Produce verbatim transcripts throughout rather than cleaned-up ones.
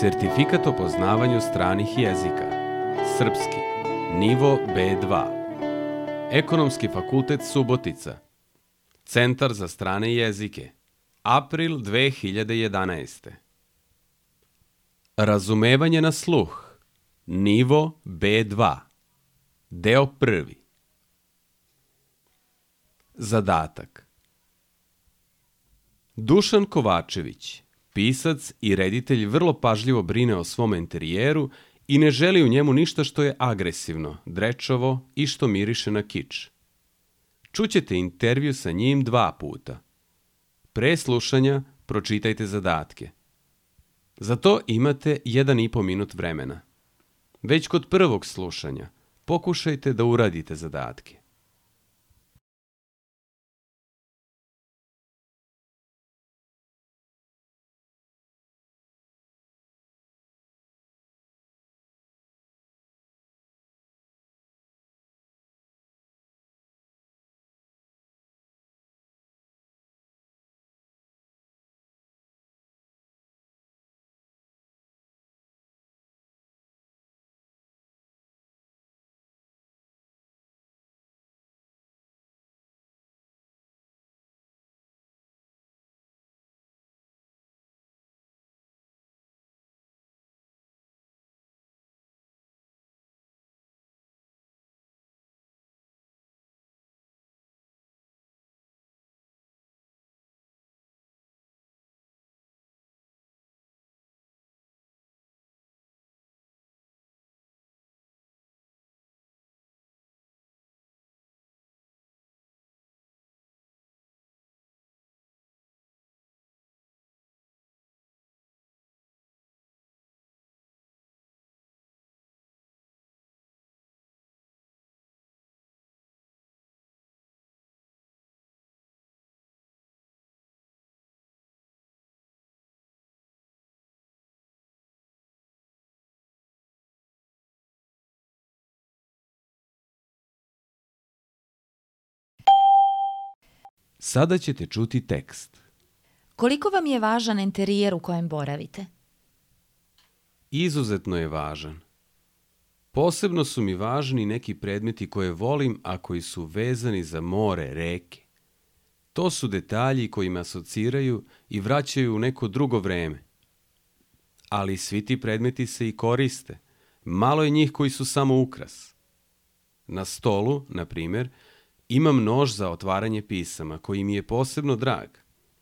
Sertifikat o poznavanju stranih jezika. Srpski. Nivo be dva. Ekonomski fakultet Subotica. Centar za strane jezike. April dve hiljade jedanaeste. Razumevanje na sluh. Nivo be dva. Deo prvi. Zadatak. Dušan Kovačević, pisac i reditelj, vrlo pažljivo brine o svom enterijeru i ne želi u njemu ništa što je agresivno, drečavo i što miriše na kič. Čućete intervju sa njim dva puta. Pre slušanja pročitajte zadatke. Za to imate jedan i po minut vremena. Već kod prvog slušanja pokušajte da uradite zadatke. Sada ćete čuti tekst. Koliko vam je važan enterijer u kojem boravite? Izuzetno je važan. Posebno su mi važni neki predmeti koje volim, a koji su vezani za more, reke. To su detalji koji me asociraju i vraćaju u neko drugo vreme. Ali svi ti predmeti se i koriste. Malo je njih koji su samo ukras. Na stolu, na primjer, imam nož za otvaranje pisama, koji mi je posebno drag.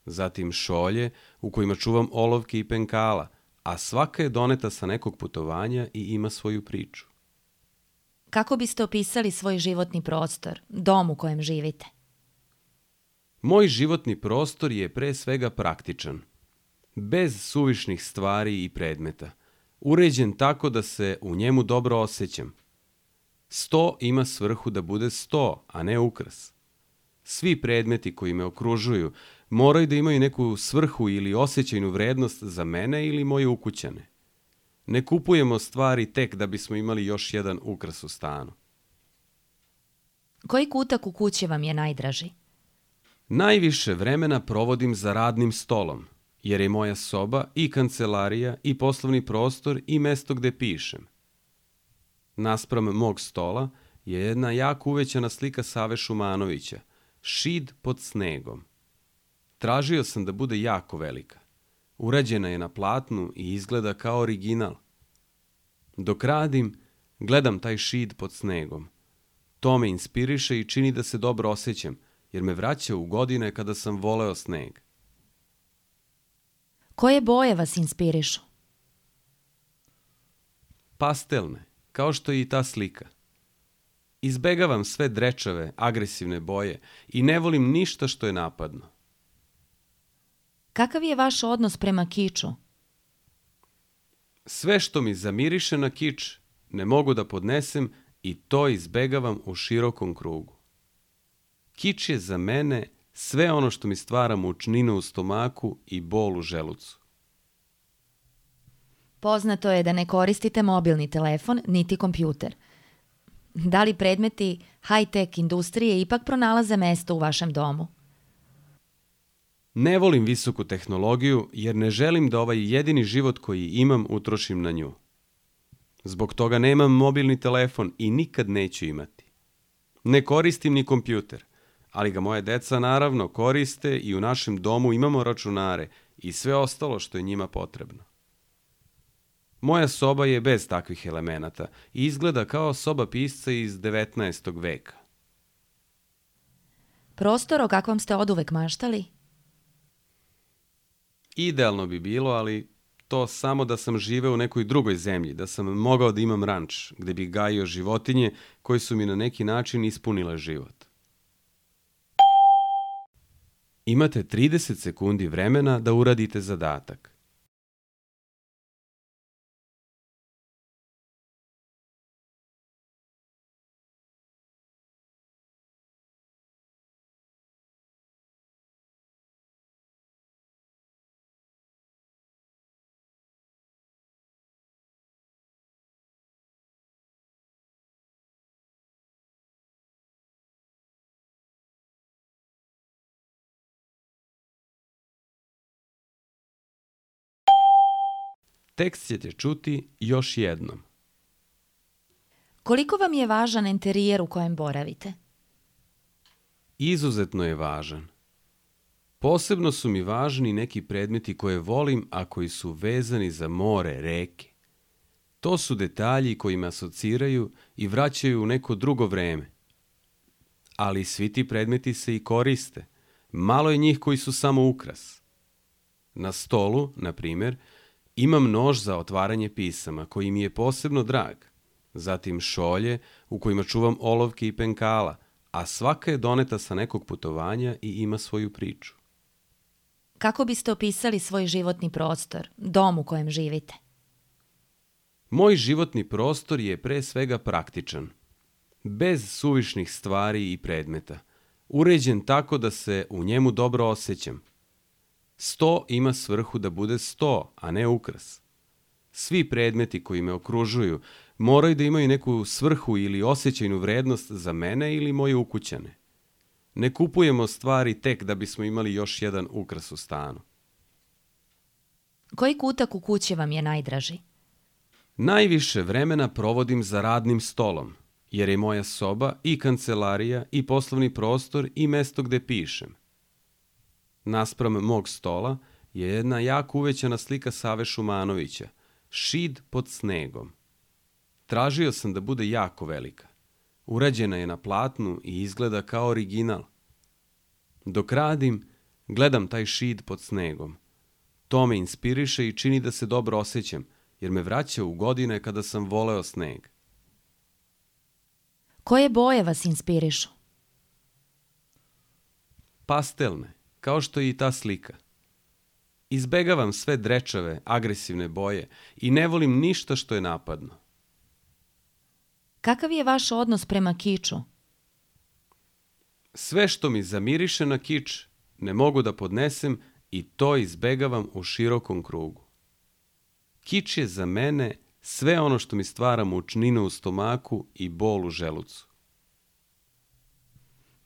Zatim šolje u kojima čuvam olovke i penkala, a svaka je doneta sa nekog putovanja i ima svoju priču. Kako biste opisali svoj životni prostor, dom u kojem živite? Moj životni prostor je pre svega praktičan. Bez suvišnih stvari i predmeta. Uređen tako da se u njemu dobro osjećam. Sto ima svrhu da bude sto, a ne ukras. Svi predmeti koji me okružuju moraju da imaju neku svrhu ili osjećajnu vrednost za mene ili moje ukućane. Ne kupujemo stvari tek da bismo imali još jedan ukras u stanu. Koji kutak u kući vam je najdraži? Najviše vremena provodim za radnim stolom, jer je moja soba i kancelarija i poslovni prostor i mesto gde pišem. Naspram mog stola je jedna jako uvećana slika Save Šumanovića, Šid pod snegom. Tražio sam da bude jako velika. Urađena je na platnu i izgleda kao original. Dok radim, gledam taj šid pod snegom. To me inspiriše i čini da se dobro osjećam, jer me vraća u godine kada sam voleo sneg. Koje boje vas inspirišu? Pastelne, kao što je i ta slika. Izbegavam sve drečave, agresivne boje i ne volim ništa što je napadno. Kakav je vaš odnos prema kiču? Sve što mi zamiriše na kič ne mogu da podnesem i to izbegavam u širokom krugu. Kič je za mene sve ono što mi stvara mučninu u stomaku i bol u želucu. Poznato je da ne koristite mobilni telefon niti kompjuter. Da li predmeti high-tech industrije ipak pronalaze mesto u vašem domu? Ne volim visoku tehnologiju jer ne želim da ovaj jedini život koji imam utrošim na nju. Zbog toga nemam mobilni telefon i nikad neću imati. Ne koristim ni kompjuter, ali ga moje deca naravno koriste i u našem domu imamo računare i sve ostalo što je njima potrebno. Moja soba je bez takvih elemenata i izgleda kao soba pisca iz devetnaestog veka. Prostor o kakvom ste oduvek maštali? Idealno bi bilo, ali to samo da sam živeo u nekoj drugoj zemlji, da sam mogao da imam ranč, gde bih gajio životinje koje su mi na neki način ispunile život. Imate trideset sekundi vremena da uradite zadatak. Tekst ćete čuti još jednom. Koliko vam je važan enterijer u kojem boravite? Izuzetno je važan. Posebno su mi važni neki predmeti koje volim, a koji su vezani za more, reke. To su detalji koji me asociraju i vraćaju u neko drugo vreme. Ali svi ti predmeti se i koriste. Malo je njih koji su samo ukras. Na stolu, na primjer, imam nož za otvaranje pisama koji mi je posebno drag. Zatim šolje u kojima čuvam olovke i penkala, a svaka je doneta sa nekog putovanja i ima svoju priču. Kako biste opisali svoj životni prostor, dom u kojem živite? Moj životni prostor je pre svega praktičan, bez suvišnih stvari i predmeta, uređen tako da se u njemu dobro osjećam. Sto ima svrhu da bude sto, a ne ukras. Svi predmeti koji me okružuju moraju da imaju neku svrhu ili osjećajnu vrednost za mene ili moje ukućane. Ne kupujemo stvari tek da bismo imali još jedan ukras u stanu. Koji kutak u kući vam je najdraži? Najviše vremena provodim za radnim stolom, jer je moja soba i kancelarija i poslovni prostor i mesto gde pišem. Naspram mog stola je jedna jako uvećana slika Save Šumanovića, Šid pod snegom. Tražio sam da bude jako velika. Urađena je na platnu i izgleda kao original. Dok radim, gledam taj šid pod snegom. To me inspiriše i čini da se dobro osjećam, jer me vraća u godine kada sam voleo sneg. Koje boje vas inspirišu? Pastelne, kao što je i ta slika. Izbegavam sve drečave, agresivne boje i ne volim ništa što je napadno. Kakav je vaš odnos prema kiču? Sve što mi zamiriše na kič ne mogu da podnesem i to izbegavam u širokom krugu. Kič je za mene sve ono što mi stvara mučninu u stomaku i bol u želucu.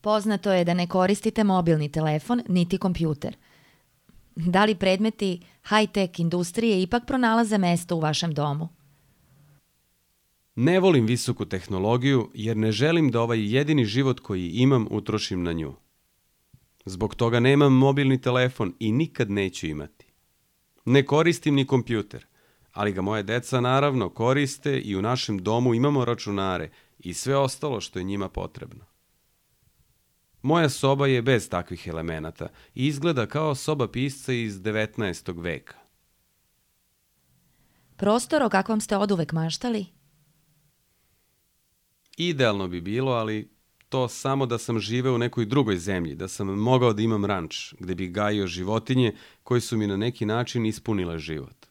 Poznato je da ne koristite mobilni telefon niti kompjuter. Da li predmeti high-tech industrije ipak pronalaze mesto u vašem domu? Ne volim visoku tehnologiju jer ne želim da ovaj jedini život koji imam utrošim na nju. Zbog toga nemam mobilni telefon i nikad neću imati. Ne koristim ni kompjuter, ali ga moje deca naravno koriste i u našem domu imamo računare i sve ostalo što je njima potrebno. Moja soba je bez takvih elemenata i izgleda kao soba pisca iz devetnaestog veka. Prostor o kakvom ste oduvek maštali? Idealno bi bilo, ali to samo da sam živeo u nekoj drugoj zemlji, da sam mogao da imam ranč, gde bih gajio životinje koje su mi na neki način ispunile život.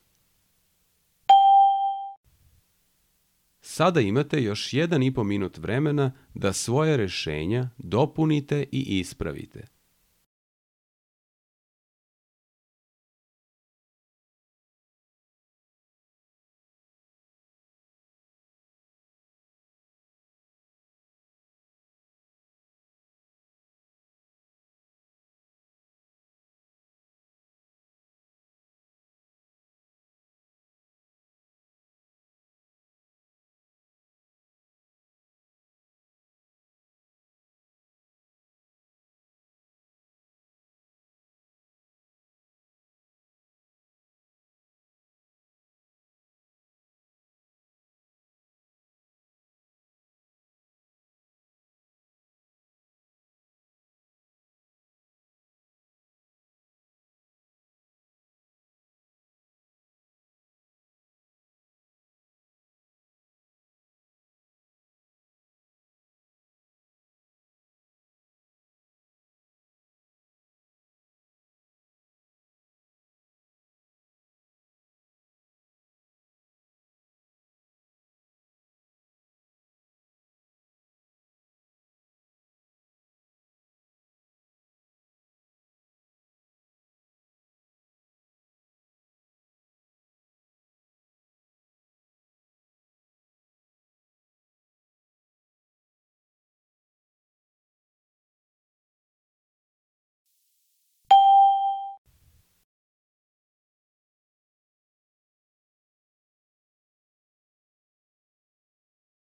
Sada imate još jedan i po minut vremena da svoje rešenja dopunite i ispravite.